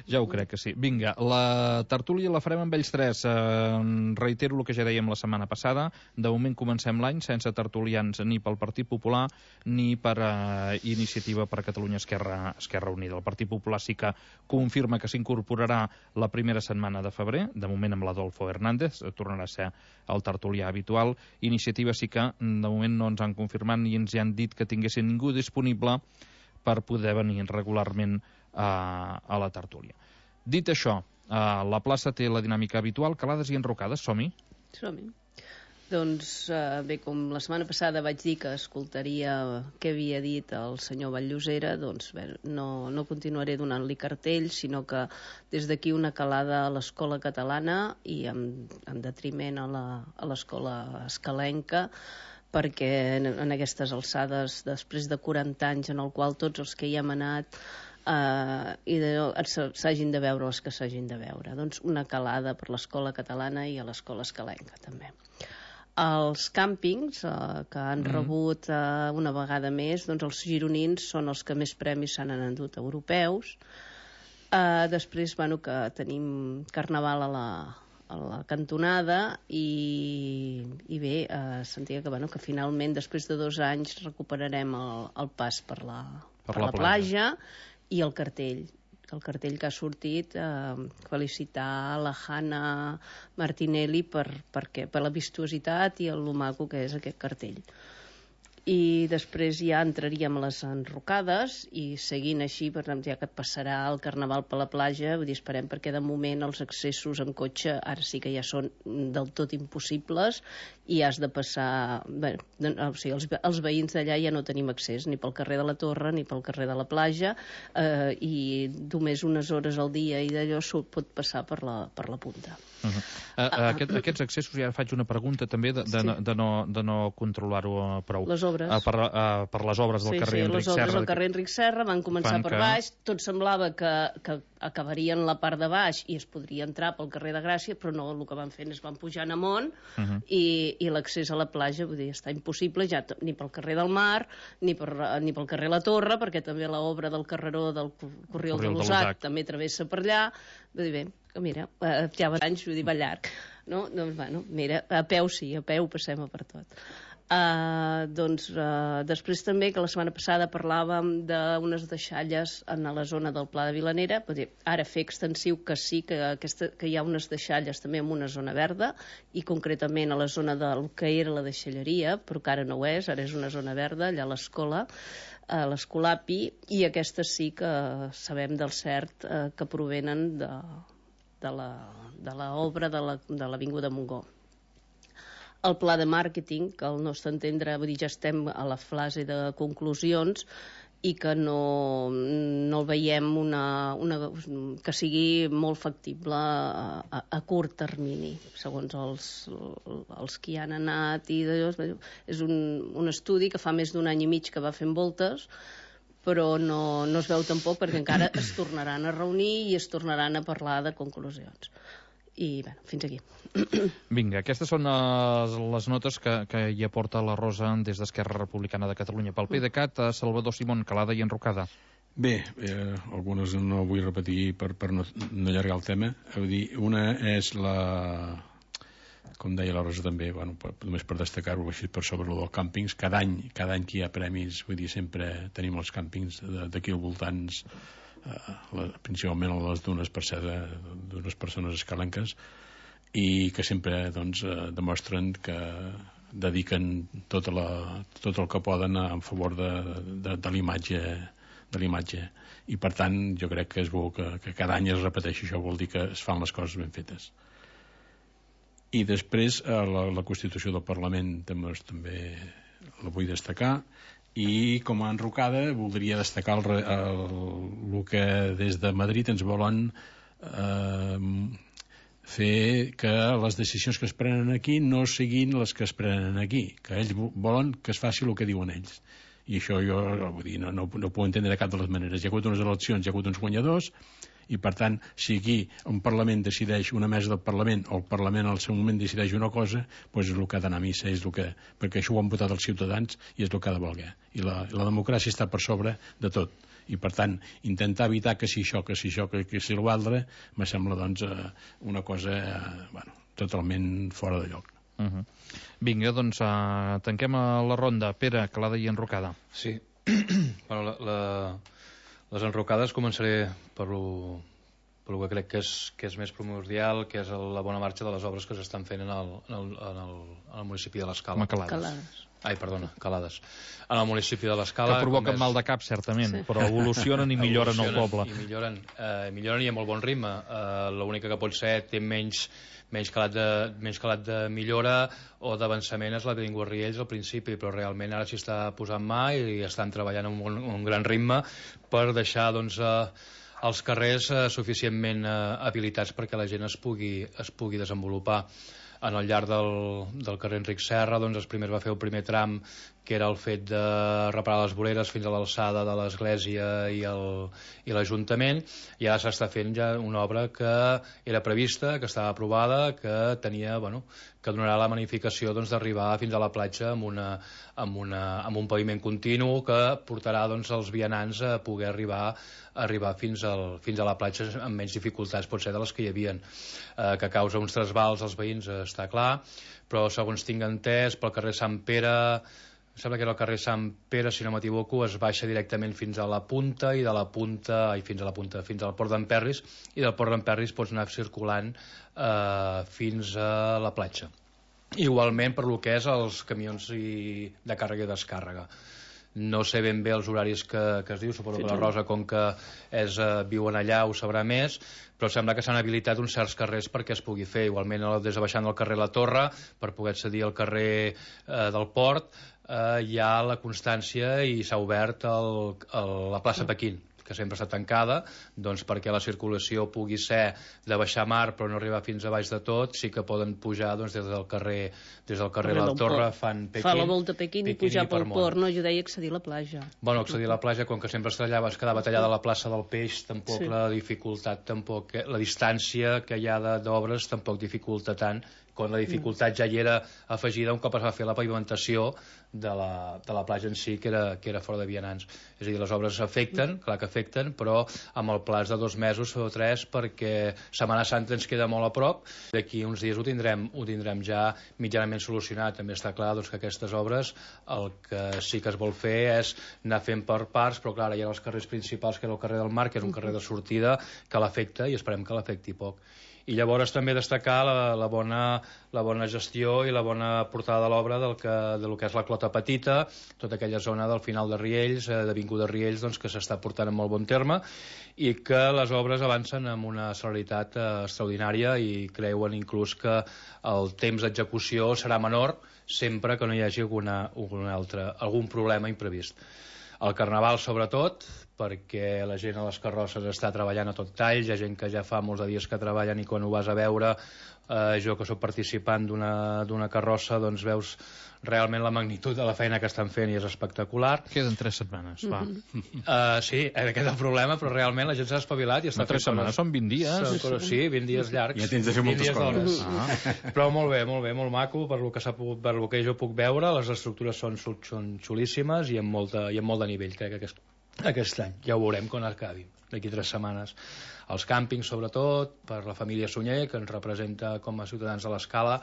Ja ho crec que sí. Vinga, la tertúlia la farem amb ells tres. Reitero el que ja dèiem la setmana passada. De moment comencem l'any sense tertulians ni pel Partit Popular ni per Iniciativa per Catalunya Esquerra Unida. El Partit Popular sí que confirma que s'incorporarà la primera setmana de febrer, de moment amb l'Adolfo Hernández, tornarà a ser el tertulià habitual. Iniciativa sí que de moment no ens han confirmat ni ens han dit que tinguessin ningú disponible per poder venir regularment a la tertúlia. Dit això, la plaça té la dinàmica habitual, calades i enrocades. Som-hi? Som-hi. Doncs bé, com la setmana passada vaig dir que escoltaria què havia dit el senyor Vall-llosera, doncs bé, no continuaré donant-li cartells, sinó que des d'aquí una calada a l'escola catalana i en detriment a l'escola escalenca, perquè en aquestes alçades, després de 40 anys en el qual tots els que hi hem anat s'hagin de veure els que s'hagin de veure. Doncs una calada per l'escola catalana i a l'escola escalenca també. Els càmpings que han rebut una vegada més, doncs els gironins són els que més premis s'han endut europeus. Després, bueno, que tenim carnaval a la cantonada i bé, sentia que, bueno, que finalment després de 2 anys recuperarem el pas per la platja i el cartell que ha sortit, felicitar la Hanna Martinelli per la vistuositat i el maco que és aquest cartell. I després ja entraríem a les enrocades i seguint així, per exemple, ja que et passarà el carnaval per la platja, vull dir, esperem, perquè de moment els accessos en cotxe ara sí que ja són del tot impossibles i has de passar, bé, o sigui, els veïns d'allà ja no tenim accés ni pel carrer de la Torre ni pel carrer de la platja, i només unes hores al dia i d'allò pot passar per la punta. Aquests accessos, ja faig una pregunta també de no controlar-ho prou. Les obres. Per les obres del carrer Enric Serra. Les obres del carrer Enric Serra van començar per baix, tot semblava que acabarien la part de baix i es podria entrar pel carrer de Gràcia, però no, el que van fer és van pujar en amunt i l'accés a la platja, vull dir, està impossible ja ni pel carrer del Mar ni pel carrer La Torre, perquè també l'obra del carreró del Corriol de l'Usac també travessa per allà. Vull dir, bé, que mira, ja va anys, vull dir, va llarg, no? Doncs, bueno, mira, a peu sí, a peu passem per tot. Després també, que la setmana passada parlàvem d'unes deixalles en la zona del Pla de Vilanera, ara fer extensiu que sí que hi ha unes deixalles també en una zona verda, i concretament a la zona del que era la deixalleria, però que ara no ho és, ara és una zona verda allà a l'escola, a l'Escolapi, i aquestes sí que sabem del cert que provenen de l'obra de l'Avinguda Montgó. El pla de màrqueting, que al nostre entendre, vull dir, ja estem a la fase de conclusions i que no el veiem que sigui molt factible a curt termini, segons els que hi han anat. És un estudi que fa més d'1 any i mig que va fent voltes, però no es veu tampoc, perquè encara es tornaran a reunir i es tornaran a parlar de conclusions. I bé, fins aquí. Vinga, aquestes són les notes que hi aporta la Rosa des d'Esquerra Republicana de Catalunya. Pel PDeCAT, Salvador Simón, calada i enrocada. Bé, algunes no vull repetir per no allargar el tema. Vull dir, una és com deia la Rosa també, bueno, només per destacar-ho així per sobre dels càmpings, cada any que hi ha premis, vull dir, sempre tenim els càmpings d'aquí al voltants, principalment a les dunes, per ser d'unes persones escalenques, i que sempre demostren que dediquen tot el que poden en favor de l'imatge, i per tant jo crec que és bo que cada any es repeteixi. Això vol dir que es fan les coses ben fetes. I després la Constitució del Parlament també la vull destacar, i com a enrocada voldria destacar el que des de Madrid ens volen fer que les decisions que es prenen aquí no siguin les que es prenen aquí, que ells volen que es faci el que diuen ells, i això jo vull dir, no ho puc entendre de cap de les maneres. Hi ha hagut unes eleccions, hi ha hagut uns guanyadors, I per tant, si aquí un Parlament decideix, una mesa del Parlament o el Parlament al seu moment decideix una cosa, doncs és el que ha d'anar a missa, perquè això ho han votat els ciutadans i és el que ha de valer. I la democràcia està per sobre de tot. I per tant, intentar evitar que si això, que si l'altre, me sembla doncs una cosa totalment fora de lloc. Vinga, doncs tanquem la ronda. Pere, calada i enrocada. Sí. Bueno, les enrocades començaré per lo que crec que és més primordial, que és la bona marxa de les obres que s'estan fent en el municipi de l'Escala. Calades. Ai, perdona, Calades. En el municipi de l'Escala... Que provoquen mal de cap, certament, sí. Però evolucionen i milloren el poble. I milloren i a molt bon ritme. L'única que pot ser té menys calat de millora o d'avançament és la que ningú Riells al principi, però realment ara s'hi està posant mà i estan treballant amb un gran ritme per deixar doncs, els carrers suficientment habilitats perquè la gent es pugui desenvolupar. En el llarg del carrer Enric Serra doncs primer va fer el primer tram, que era el fet de reparar les voreres fins a l'alçada de l'església i l'Ajuntament, i ara s'està fent ja una obra que era prevista, que estava aprovada, que tenia, que donarà la magnificació d'arribar fins a la platja amb un paviment continu que portarà els vianants a poder arribar fins a la platja amb menys dificultats pot ser de les que hi havien, que causa uns trasbals als veïns està clar, però segons tinc entès pel carrer Sant Pere, sembla que era el carrer Sant Pere, si no m'equivoco, es baixa directament fins a la punta i de la punta, fins al Port d'en Perris, i del Port d'en Perris pots anar circulant fins a la platja. Igualment per lo que és els camions de càrrega i descàrrega. No sé ben bé els horaris que es diu, suposo que la Rosa, com que viuen allà, ho sabrà més, però sembla que s'han habilitat uns certs carrers perquè es pugui fer. Igualment, des de baixant del carrer La Torre, per poder accedir al carrer del Port, hi ha la constància i s'ha obert la plaça Pequín, que sempre està tancada, doncs perquè la circulació pugui ser de baixar mar però no arribar fins a baix de tot, sí que poden pujar des del carrer La Torre, fan Pequín. Fa la volta a Pequín i pujar pel port, no? Jo deia accedir a la platja. Bueno, accedir a la platja, com que sempre es quedava tallada a la plaça del Peix, tampoc la dificultat, la distància que hi ha d'obres tampoc dificulta tant, quan la dificultat ja hi era afegida un cop es va fer la pavimentació de la platja en si, que era fora de vianants. És a dir, les obres afecten, clar que afecten, però amb el plaç de 2 mesos o 3, perquè Setmana Santa ens queda molt a prop. D'aquí uns dies ho tindrem ja mitjanament solucionat. També està clar que aquestes obres el que sí que es vol fer és anar fent per parts, però clar, hi ha els carrers principals, que era el carrer del Mar, que és un carrer de sortida, que l'afecta i esperem que l'afecti poc. I llavors també destacar la bona gestió i la bona portada de l'obra del que és la Clota Petita, tota aquella zona del final de Riells, d'Avinguda Riells, que s'està portant en molt bon terme, i que les obres avancen amb una celeritat extraordinària i creuen inclús que el temps d'execució serà menor sempre que no hi hagi algun problema imprevist. El Carnaval, sobretot, perquè la gent a les carrosses està treballant a tot tall, hi ha gent que ja fa molts de dies que treballen i quan ho vas a veure, jo que soc participant d'una carrossa, doncs veus realment la magnitud de la feina que estan fent i és espectacular. Queden 3 setmanes, va. Sí, aquest és el problema, però realment la gent s'ha espavilat i està fent 3 setmanes, són 20 dies. Sí, 20 dies llargs. Ja tens de fer moltes coses. Però molt bé, molt maco, per lo que jo puc veure, les estructures són xulíssimes i amb molt de nivell, crec que aquest any. Ja ho veurem quan acabi, d'aquí 3 setmanes. Els càmpings, sobretot, per la família Sunyer, que ens representa com a ciutadans de l'Escala,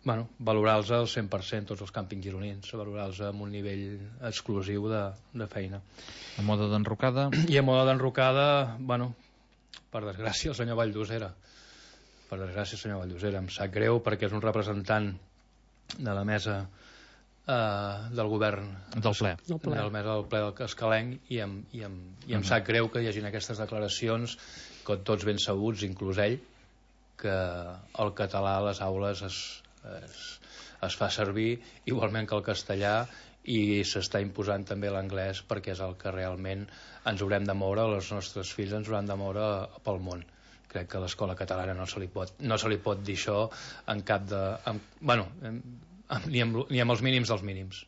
valorar-los al 100%, tots els càmpings gironins, valorar-los amb un nivell exclusiu de feina. A moda d'enrocada? I a moda d'enrocada, per desgràcia, el senyor Valldosera. Per desgràcia, el senyor Valldosera. Em sap greu perquè és un representant de la mesa del govern del ple del ple del Escalenc i em sap greu que hi hagin aquestes declaracions que tots ben sabuts, inclús ell, que el català a les aules es fa servir igualment que el castellà i s'està imposant també l'anglès perquè és el que realment ens haurem de moure, els nostres fills ens hauran de moure pel món. Crec que a l'escola catalana no se li pot dir això en cap de... ni amb els mínims dels mínims.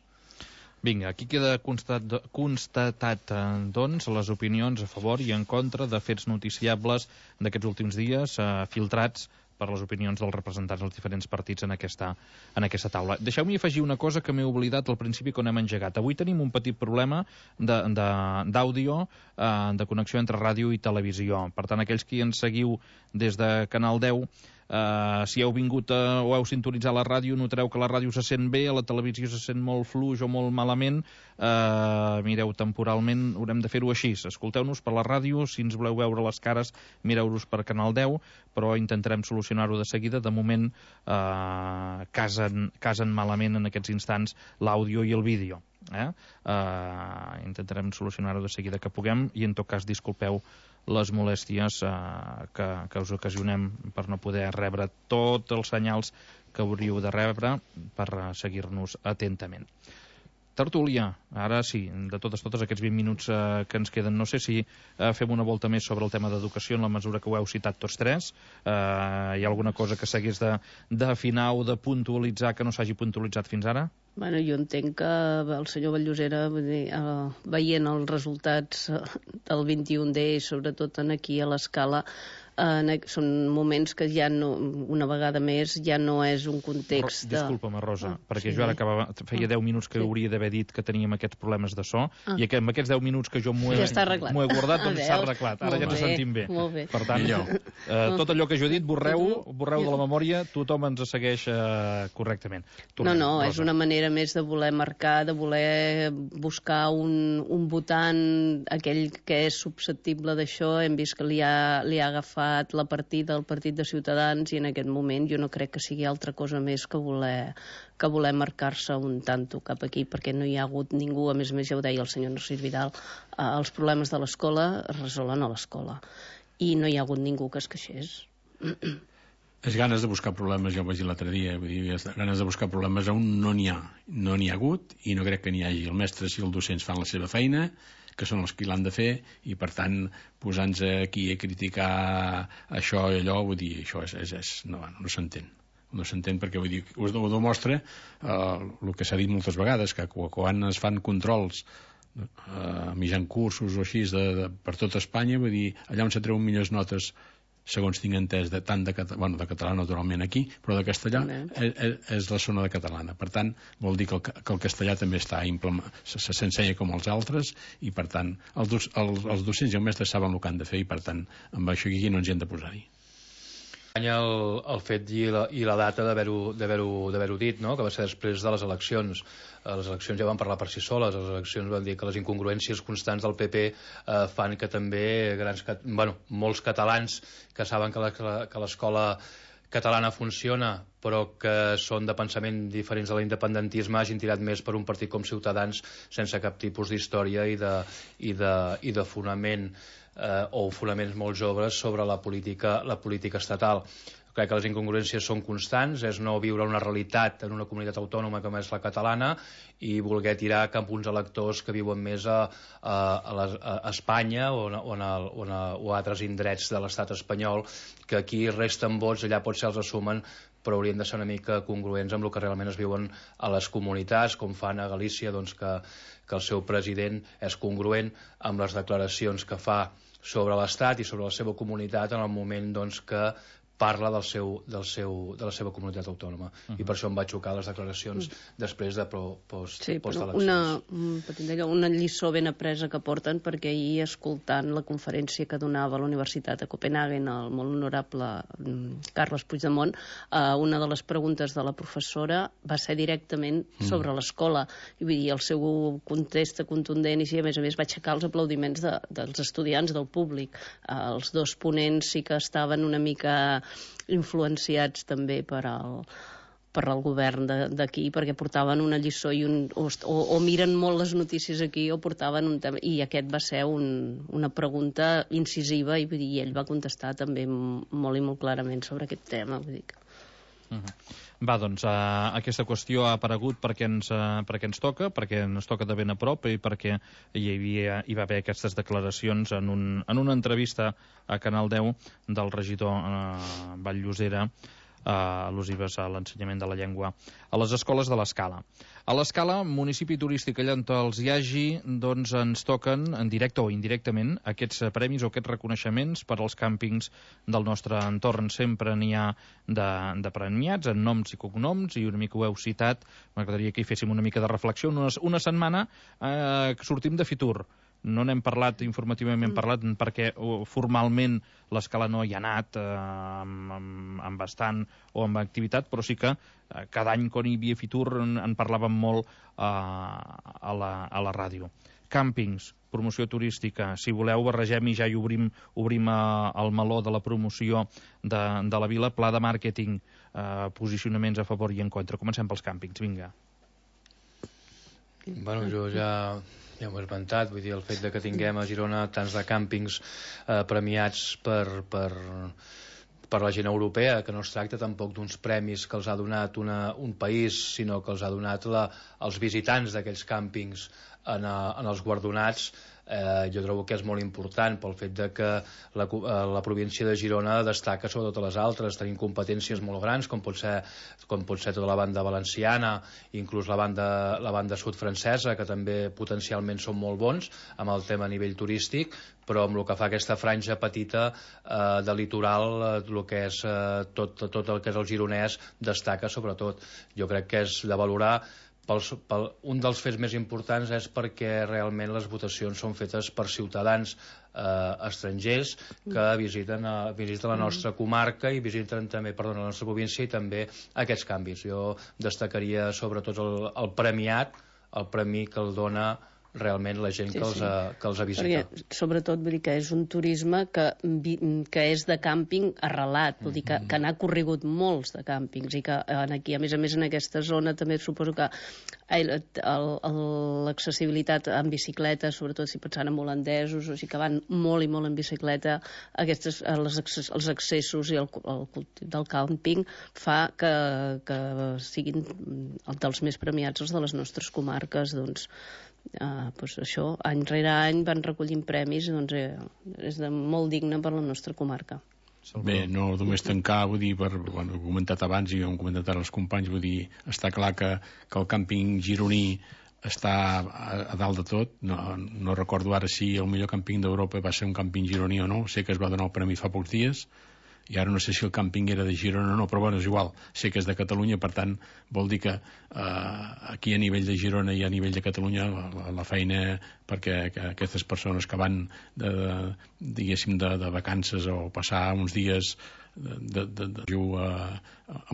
Vinga, aquí queda constatat, doncs, les opinions a favor i en contra de fets noticiables d'aquests últims dies, filtrats per les opinions dels representants dels diferents partits en aquesta taula. Deixeu-m'hi afegir una cosa que m'he oblidat al principi quan hem engegat. Avui tenim un petit problema d'àudio, de connexió entre ràdio i televisió. Per tant, aquells que ens seguiu des de Canal 10, si heu vingut o heu sintonitzat la ràdio, notareu que la ràdio se sent bé, a la televisió se sent molt fluix o molt malament. Mireu, temporalment haurem de fer-ho així. Escolteu-nos per la ràdio, si ens voleu veure les cares, mireu-nos per Canal 10, però intentarem solucionar-ho de seguida. De moment casen malament en aquests instants l'àudio i el vídeo. Intentarem solucionar-ho de seguida que puguem i en tot cas disculpeu les molèsties que us ocasionem per no poder rebre tots els senyals que hauríeu de rebre per seguir-nos atentament. Tertúlia, ara sí, de totes aquests 20 minuts que ens queden. No sé si fem una volta més sobre el tema d'educació en la mesura que ho heu citat tots tres. Hi ha alguna cosa que s'hagués d'afinar o de puntualitzar que no s'hagi puntualitzat fins ara? Bueno, jo entenc que el senyor Vallllosera, veient els resultats del 21D, sobretot aquí a l'Escala, són moments que ja no, una vegada més, ja no és un context Disculpa'm, Rosa, perquè jo ara feia 10 minuts que hauria d'haver dit que teníem aquests problemes de so, i que amb aquests 10 minuts que jo m'ho he guardat, doncs s'ha arreglat. Ara ja ens sentim bé. Per tant, tot allò que jo he dit, borreu de la memòria, tothom ens segueix correctament. No, és una manera més de voler marcar, de voler buscar un votant, aquell que és susceptible d'això. Hem vist que li ha agafat la partida al partit de Ciutadans i en aquest moment jo no crec que sigui altra cosa més que voler marcar-se un tanto cap aquí, perquè no hi ha hagut ningú, a més ja ho deia el senyor Narcís Vidal, els problemes de l'escola es resolen a l'escola i no hi ha hagut ningú que es queixés. És ganes de buscar problemes, ja ho vaig dir l'altre dia, vull dir, ganes de buscar problemes on no n'hi ha hagut i no crec que n'hi hagi. El mestre i els docents fan la seva feina, que són els que l'han de fer, i per tant posar-nos aquí a criticar això i allò, vull dir, això no s'entén. No s'entén perquè, vull dir, ho demostra el que s'ha dit moltes vegades, que quan es fan controls mitjan cursos o així per tot Espanya, vull dir, allà on se treuen millors notes, segons tinc entès, tant de català naturalment aquí, però de castellà és la zona de catalana. Per tant, vol dir que el castellà també s'ensenya com els altres, i per tant els docents i els mestres saben el que han de fer, i per tant amb això aquí no ens hi hem de posar-hi. El fet i la data d'haver-ho dit, no? Que va ser després de les eleccions. Les eleccions ja van parlar per si soles. Les eleccions van dir que les incongruències constants del PP fan que també molts catalans que saben que l'escola catalana funciona però que són de pensament diferents de l'independentisme hagin tirat més per un partit com Ciutadans sense cap tipus d'història i de fonament o fonaments molt joves sobre la política estatal. Crec que les incongruències són constants, és no viure una realitat en una comunitat autònoma com és la catalana i voler tirar cap uns electors que viuen més a Espanya o a altres indrets de l'estat espanyol, que aquí resten vots, allà potser els assumen, però haurien de ser una mica congruents amb el que realment es viuen a les comunitats, com fan a Galícia, doncs que el seu president és congruent amb les declaracions que fa sobre l'Estat i sobre la seva comunitat en el moment doncs, que parla de la seva comunitat autònoma. I per això em va xocar les declaracions després de post-eleccions. Una lliçó ben apresa que porten, perquè ahir, escoltant la conferència que donava a la Universitat de Copenhagen el molt honorable Carles Puigdemont, una de les preguntes de la professora va ser directament sobre l'escola. I vull dir, el seu contest contundent, i a més va aixecar els aplaudiments dels estudiants, del públic. Els dos ponents sí que estaven una mica influenciats també per al govern d'aquí, perquè portaven una lliçó o miren molt les notícies aquí o portaven un tema, i aquest va ser una pregunta incisiva, i ell va contestar també molt i molt clarament sobre aquest tema. Vull dir que... Va, doncs, aquesta qüestió ha aparegut perquè ens toca, perquè ens toca de ben a prop i perquè hi va haver aquestes declaracions en una entrevista a Canal 10 del regidor Vallllosera al·lusives a l'ensenyament de la llengua a les escoles de l'Escala. A l'Escala, municipi turístic allà on els hi hagi, doncs ens toquen, en directe o indirectament, aquests premis o aquests reconeixements per als càmpings del nostre entorn. Sempre n'hi ha de premiats, en noms i cognoms, i una mica ho heu citat, m'agradaria que hi féssim una mica de reflexió. Una setmana que sortim de Fitur. No n'hem parlat informativament, perquè formalment l'Escala no hi ha anat amb bastant o amb activitat, però sí que cada any quan hi havia Fitur en parlàvem molt a la ràdio. Càmpings, promoció turística, si voleu barregem i ja hi obrim el meló de la promoció de la vila, pla de màrqueting, posicionaments a favor i en contra. Comencem pels càmpings, vinga. Bueno, jo ja ho he esmentat, vull dir, el fet de que tinguem a Girona tants de càmpings premiats per la gent europea, que no es tracta tampoc d'uns premis que els ha donat un país, sinó que els ha donat els visitants d'aquells càmpings en els guardonats. Jo trobo que és molt important pel fet de que la província de Girona destaca sobre totes les altres. Tenim competències molt grans, com pot ser tota la banda valenciana, inclús la banda sud francesa, que també potencialment són molt bons amb el tema a nivell turístic, però amb el que fa aquesta franja petita de litoral, el que és tot el que és el gironès destaca sobretot. Jo crec que és de valorar. Un dels fets més importants és perquè realment les votacions són fetes per ciutadans estrangers que visiten la nostra comarca i visiten també, la nostra província i també aquests canvis. Jo destacaria sobretot el premiat, el premi que el dona realment la gent que els ha visitat. Perquè, sobretot, vull dir que és un turisme que és de càmping arrelat, vull dir que n'ha corregut molts de càmpings i que aquí, a més en aquesta zona també suposo que l'accessibilitat en bicicleta, sobretot si pensant en holandesos, o sigui que van molt i molt en bicicleta, els accessos i el cultiu del càmping fa que siguin dels més premiats els de les nostres comarques. Doncs això, any rere any van recollint premis, doncs és molt digne per la nostra comarca. Bé, no només tancar, vull dir, ho he comentat abans i ho hem comentat ara els companys, vull dir, està clar que el càmping gironí està a dalt de tot. No recordo ara si el millor càmping d'Europa va ser un càmping gironí o no, sé que es va donar el premi fa pocs dies, i ara no sé si el càmping era de Girona o no, però bueno, és igual, sé que és de Catalunya, per tant vol dir que aquí a nivell de Girona i a nivell de Catalunya la feina perquè aquestes persones que van diguéssim de vacances o passar uns dies en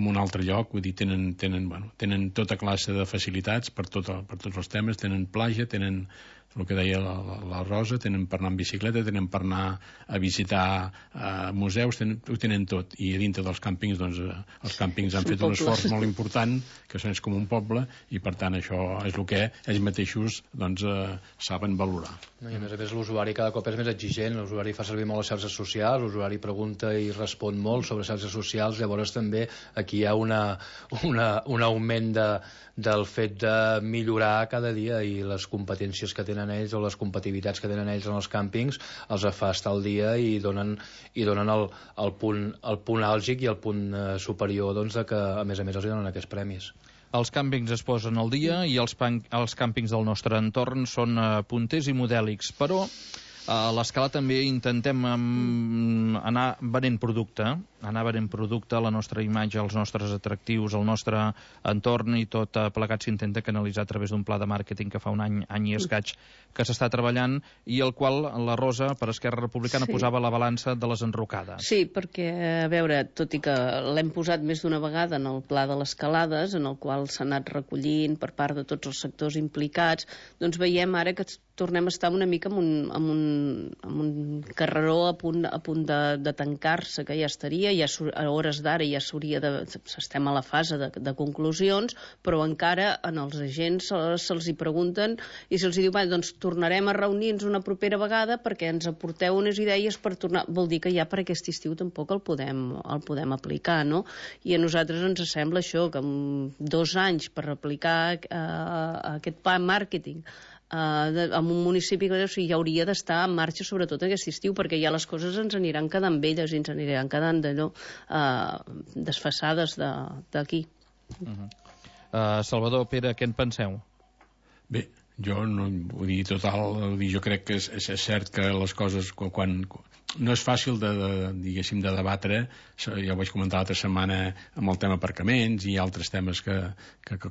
un altre lloc, vull dir, tenen tota classe de facilitats per tots els temes, tenen platja, tenen el que deia la Rosa, tenen per anar en bicicleta, tenen per anar a visitar museus, ho tenen tot. I a dintre dels càmpings, doncs, els càmpings han fet un esforç molt important, que és com un poble, i per tant això és el que ells mateixos saben valorar. I a més l'usuari cada cop és més exigent, l'usuari fa servir molt les xarxes socials, l'usuari pregunta i respon molt sobre xarxes socials, llavors també aquí hi ha un augment del fet de millorar cada dia, i les competències que tenen ells o les competitivitats que tenen ells en els càmpings els fa estar al dia i donen el punt àlgic i el punt superior, doncs, de que a més els donen aquests premis. Els càmpings es posen al dia i els càmpings del nostre entorn són punters i modèlics, però a l'Escala també intentem anar venent producte, la nostra imatge, els nostres atractius, el nostre entorn, i tot plegat s'intenta canalitzar a través d'un pla de màrqueting que fa un any i escaig que s'està treballant, i el qual la Rosa, per Esquerra Republicana, posava la balança de les enrocades. Sí, perquè, a veure, tot i que l'hem posat més d'una vegada en el pla de les calades, en el qual s'ha anat recollint per part de tots els sectors implicats, doncs veiem ara que tornem a estar una mica amb un carreró a punt de tancar-se, que ja estaria, a hores d'ara ja estem a la fase de conclusions, però encara en els agents se'ls hi pregunten i se'ls hi diu, doncs tornarem a reunir-nos una propera vegada perquè ens aporteu unes idees per tornar. Vol dir que ja per aquest estiu tampoc el podem aplicar, no? I a nosaltres ens sembla això, que amb 2 anys per aplicar aquest pla màrqueting en un municipi que hi hauria d'estar en marxa sobretot aquest estiu, perquè ja les coses ens aniran quedant velles i ens aniran quedant d'allò desfasades d'aquí. Salvador, Pere, què en penseu? Bé, jo no vull dir jo crec que és cert que les coses quan no és fàcil diguéssim de debatre, ja ho vaig comentar l'altra setmana amb el tema aparcaments i altres temes que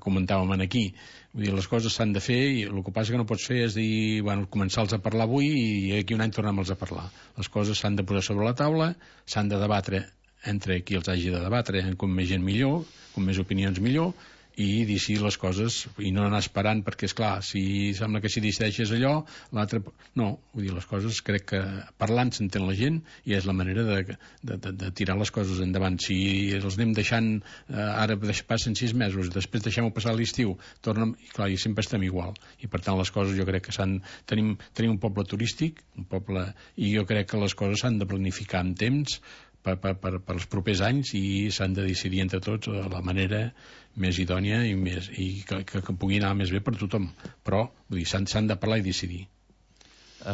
comentàvem aquí. Vull dir, les coses s'han de fer i el que passa que no pots fer és dir, bueno, començar-los a parlar avui i aquí un any tornem-los a parlar. Les coses s'han de posar sobre la taula, s'han de debatre entre qui els hagi de debatre, com més gent millor, com més opinions millor, i dir les coses i no anar esperant, perquè és clar, si sembla que si decideixes allò, l'altre no, vull dir, les coses crec que parlant s'entén la gent i és la manera de tirar les coses endavant. Si els anem deixant ara passen 6 mesos, després deixem-ho passar l'estiu, tornem, i clar, i sempre estem igual, i per tant les coses jo crec que tenim un poble turístic, un poble, i jo crec que les coses s'han de planificar amb temps per als propers anys i s'han de decidir entre tots la manera més idònia i que pugui anar més bé per tothom, però vull dir, s'han de parlar i decidir.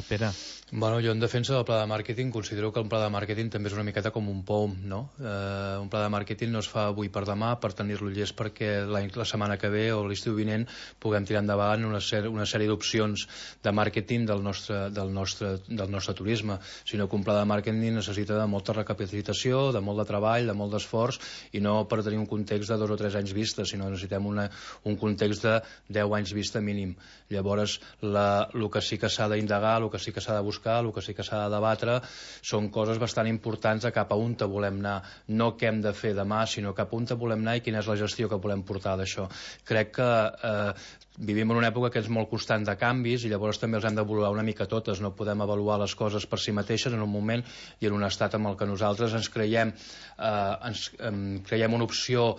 Pere. Bueno, jo en defensa del pla de màrqueting considero que un pla de màrqueting també és una miqueta com un POM, no? Un pla de màrqueting no es fa avui per demà per tenir-lo llest perquè la setmana que ve o l'estiu vinent puguem tirar endavant una sèrie d'opcions de màrqueting del nostre turisme, sinó que un pla de màrqueting necessita de molta recapacitació, de molt de treball, de molt d'esforç, i no per tenir un context de 2 o 3 anys vista, sinó necessitem un context de 10 anys vista mínim. Llavors, el que sí que s'ha d'indagar, el que sí que s'ha de buscar, el que sí que s'ha de debatre són coses bastant importants de cap a on volem anar, no què hem de fer demà, sinó cap a on volem anar i quina és la gestió que volem portar d'això. Crec que vivim en una època que és molt constant de canvis i llavors també els hem d'avaluar una mica totes, no podem avaluar les coses per si mateixes en un moment i en un estat amb el que nosaltres ens creiem una opció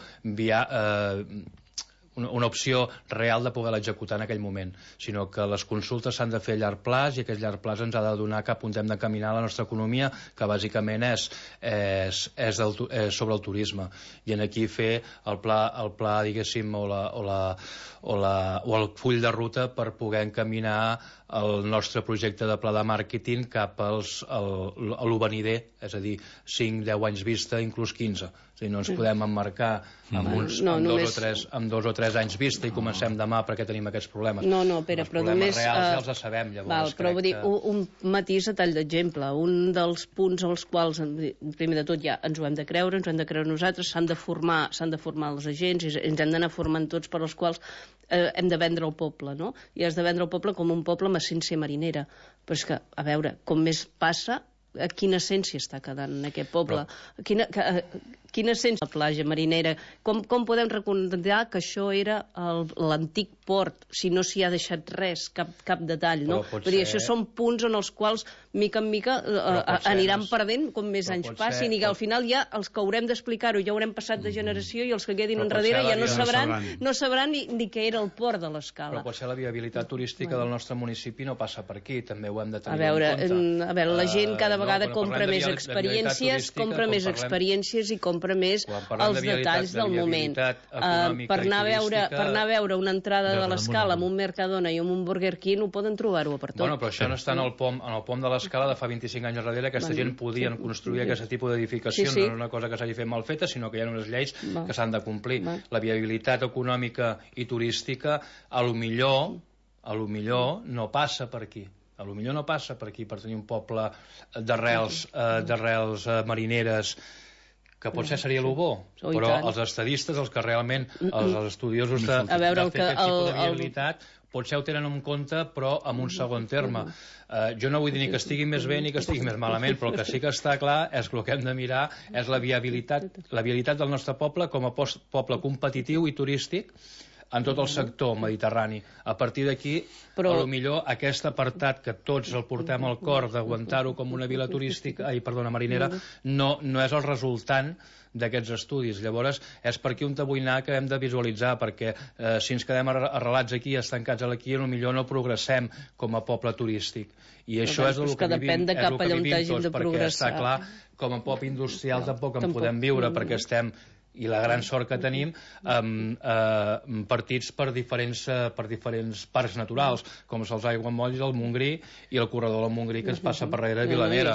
una opció real de poder l'executar en aquell moment, sinó que les consultes s'han de fer a llarg plaç i aquest llarg plaç ens ha de donar cap on hem de caminar la nostra economia, que bàsicament és sobre el turisme, i en aquí fer el pla diguéssim, o el full de ruta per poder encaminar el nostre projecte de pla de màrqueting cap a l'ovenider, és a dir, 5-10 anys vista, inclús 15. És a dir, no ens podem emmarcar amb 2 o 3 anys vista i comencem demà perquè tenim aquests problemes. No, Pere, però només... Els problemes reals ja els sabem, llavors. Però vull dir, un matís a tall d'exemple. Un dels punts als quals, primer de tot, ja ens ho hem de creure nosaltres, s'han de formar els agents i ens hem d'anar formant tots, per als quals hem de vendre el poble, no? I has de vendre el poble com un poble amb essència marinera. Però és que, a veure, com més passa, quina essència està quedant en aquest poble? Quina essència la platja marinera? Com podem recordar que això era l'antic port, si no s'hi ha deixat res, cap detall, no? Vull dir, això són punts en els quals, mica en mica, aniran perdent com més anys passin, i que al final ja els que haurem d'explicar-ho ja haurem passat de generació i els que quedin enrere ja no sabran ni què era el port de l'Escala. Però potser la viabilitat turística del nostre municipi no passa per aquí, també ho hem de tenir en compte. A veure, la gent cada vegada compra més experiències i compra més els detalls del moment. Per anar a veure una entrada de l'Escala amb un Mercadona i amb un Burger King ho poden trobar-ho per tot. Bueno, però això no està en el pom de l'Escala de fa 25 anys enrere. Aquesta gent podien construir aquest tipus d'edificacions. No és una cosa que s'hagi fet mal feta, sinó que hi ha unes lleis que s'han de complir. La viabilitat econòmica i turística a lo millor no passa per aquí. A lo millor no passa per aquí, per tenir un poble d'arrels marineres, que potser seria el bo, però els estadistes, els que realment, els estudiosos de fer aquest tipus de viabilitat, potser ho tenen en compte, però en un segon terme. Jo no vull dir ni que estigui més bé ni que estigui més malament, però el que sí que està clar és que el que hem de mirar és la viabilitat del nostre poble com a poble competitiu i turístic en tot el sector mediterrani. A partir d'aquí, potser aquest apartat que tots el portem al cor d'aguantar-ho com una vila turística, marinera, no és el resultant d'aquests estudis. Llavors, és per aquí on vull anar que hem de visualitzar, perquè si ens quedem arrelats aquí, estancats aquí, potser no progressem com a poble turístic. I això és el que vivim tots, perquè està clar, com a poble industrial tampoc en podem viure, perquè estem i la gran sort que tenim partits per diferents parcs naturals, com els aiguamolls del Montgrí i el corredor del Montgrí que ens passa per darrere de Vilanera.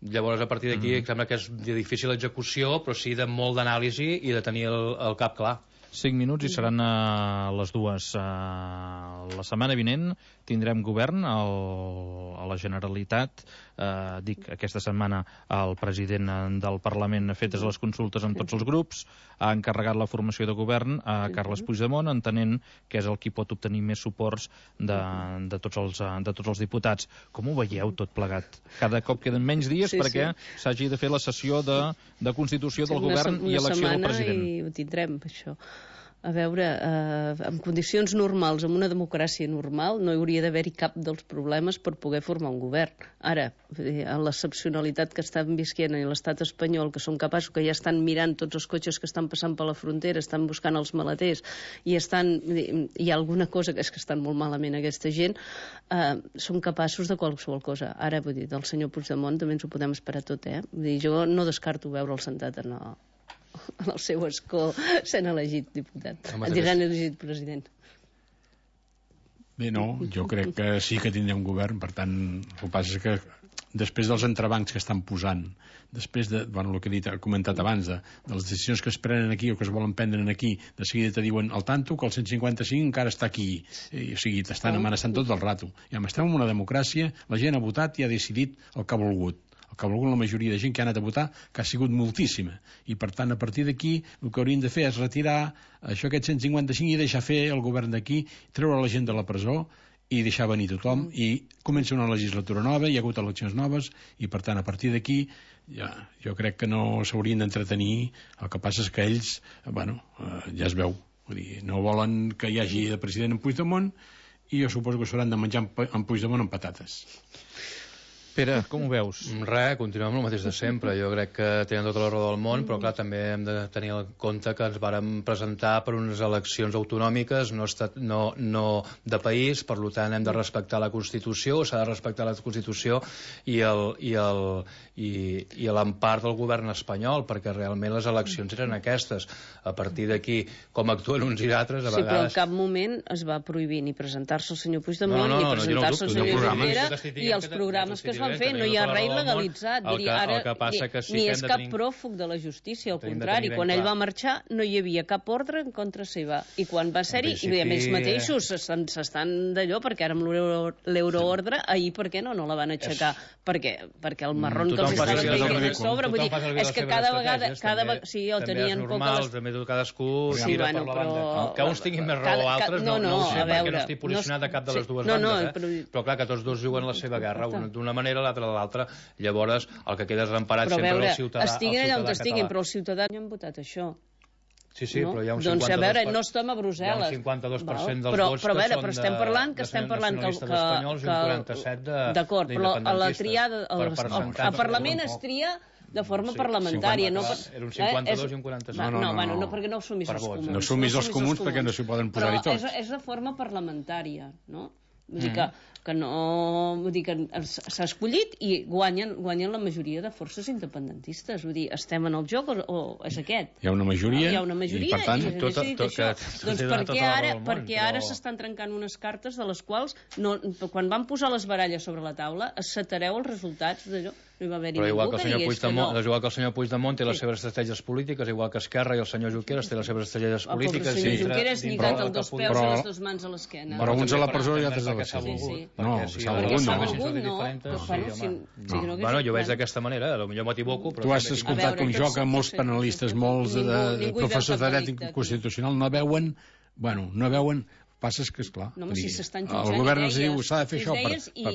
Llavors, a partir d'aquí, sembla que és de difícil execució, però sí de molt d'anàlisi i de tenir el cap clar. 5 minuts i seran a les 2. La setmana vinent tindrem govern a la Generalitat. Dic, aquesta setmana el president del Parlament ha fetes les consultes amb tots els grups, ha encarregat la formació de govern a Carles Puigdemont, entenent que és el qui pot obtenir més suports de tots els diputats. Com ho veieu tot plegat? Cada cop queden menys dies perquè s'hagi de fer la sessió de constitució del govern i elecció del president. I ho tindrem, això. A veure, en condicions normals, en una democràcia normal, no hi hauria d'haver-hi cap dels problemes per poder formar un govern. Ara, en l'excepcionalitat que estan visquent en l'estat espanyol, que són capaços, que ja estan mirant tots els cotxes que estan passant per la frontera, estan buscant els maleters, i hi ha alguna cosa que és que estan molt malament aquesta gent, són capaços de qualsevol cosa. Ara, vull dir, del senyor Puigdemont també ens ho podem esperar tot, Vull dir, jo no descarto veure'l sentat en el seu escó sent elegit diputat, sent elegit president. Bé, no, jo crec que sí que tindrem govern, per tant, el que passa és que després dels entrebancs que estan posant, després de, el que he comentat abans, de les decisions que es prenen aquí o que es volen prendre aquí, de seguida te diuen al tanto que el 155 encara està aquí, o sigui, t'estan amenaçant tot el rato. I estem en una democràcia, la gent ha votat i ha decidit el que ha volgut. El que ha volgut la majoria de gent que ha anat a votar, que ha sigut moltíssima. I, per tant, a partir d'aquí, el que haurien de fer és retirar aquest 155 i deixar fer el govern d'aquí, treure la gent de la presó i deixar venir tothom, i comença una legislatura nova, hi ha hagut eleccions noves, i, per tant, a partir d'aquí, jo crec que no s'haurien d'entretenir. El que passa és que ells, ja es veu. Vull dir, no volen que hi hagi de president en Puigdemont, i jo suposo que s'hauran de menjar en Puigdemont amb patates. Pere, com ho veus? Res, continuem amb el mateix de sempre. Jo crec que tenen tota la raó del món, però clar, també hem de tenir en compte que ens vàrem presentar per unes eleccions autonòmiques, no de país, per tant hem de respectar la Constitució, s'ha de respectar la Constitució i l'empart del govern espanyol, perquè realment les eleccions eren aquestes. A partir d'aquí, com actuen uns i d'altres, a vegades... Sí, però en cap moment es va prohibir ni presentar-se el senyor Puigdemont, ni presentar-se el senyor Junqueras, i els programes que es van fer, no hi ha res legalitzat. Ni és cap pròfug de la justícia, al contrari, quan ell va marxar no hi havia cap ordre en contra seva, i quan va ser-hi, i ells mateixos s'estan d'allò, perquè ara amb l'euroordre, ahir per què no la van aixecar? Perquè el marrón que els estaven caient a sobre, vull dir, és que cada vegada sí, ho tenien poques... També tot cadascú mira per la banda. Que uns tinguin més raó o altres, no ho sé, perquè no estic posicionat a cap de les dues bandes, però clar, que tots dos juguen la seva guerra, d'una manera, l'altra de l'altra. Llavors, el que queda és emparat sempre el ciutadà. Estiguin allà on estiguin, però els ciutadans no han votat això. Sí, però hi ha un 52%... Doncs a veure, no estem a Brussel·les. Hi ha un 52% dels vots que són de nacionalistes espanyols i un 47% d'acord, però a la triada... Al Parlament es tria de forma parlamentària. Era un 52 i un 47. No, perquè no assumís els comuns. No assumís els comuns perquè no s'hi poden posar-hi tots. Però és de forma parlamentària, no? Vull dir que no... Vull dir que s'ha escollit i guanyen la majoria de forces independentistes. Vull dir, estem en el joc o és aquest? Hi ha una majoria, i per tant... Doncs perquè ara s'estan trencant unes cartes de les quals, quan van posar les baralles sobre la taula, assetareu els resultats d'allò. No hi va haver-hi ningú que digués que no. Igual que el senyor Puigdemont té les seves estratègies polítiques, igual que Esquerra i el senyor Junqueras té les seves estratègies polítiques. Però el senyor Junqueras lligat els dos peus i les dues mans a l'esquena. Però uns a la presó i altres a l'esquena. No, s'ha volgut, no. Bueno, jo veig d'aquesta manera, potser m'equivoco. Tu has escoltat com jo que molts penalistes, molts professors de dret constitucional no veuen, passa que, esclar, el govern els diu s'ha de fer això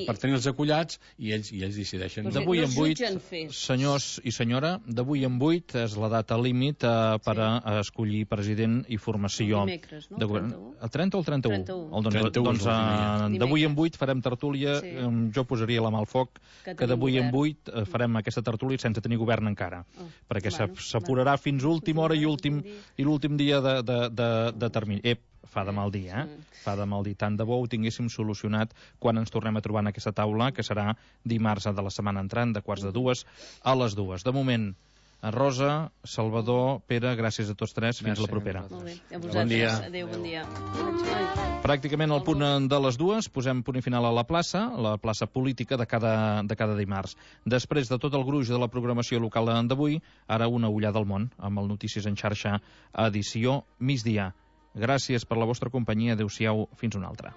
per tenir els acollats i ells decideixen. D'avui en 8, senyors i senyora, d'avui en 8 és la data límit per a escollir president i formació de govern. El 30 o el 31? Doncs d'avui en 8 farem tertúlia, jo posaria la mà al foc, que d'avui en 8 farem aquesta tertúlia sense tenir govern encara, perquè s'apurarà fins última hora i l'últim dia de termini. Fa de mal dir, Fa de mal dir. Tant de bo ho tinguéssim solucionat quan ens tornem a trobar en aquesta taula, que serà dimarts de la setmana entrant, de 1:45 a les 2. De moment, Rosa, Salvador, Pere, gràcies a tots tres. Fins la propera. Molt bé. A vosaltres. Adéu, bon dia. Pràcticament al punt de les 2 posem punt i final a la plaça política de cada dimarts. Després de tot el gruix de la programació local d'avui, ara una ullada al món, amb el Notícies en xarxa, edició migdia. Gràcies per la vostra companyia. Adéu-siau, fins una altra.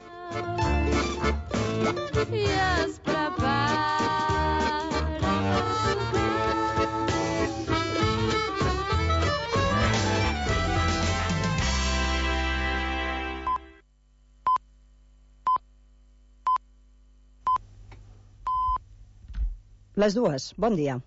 Les 2, bon dia.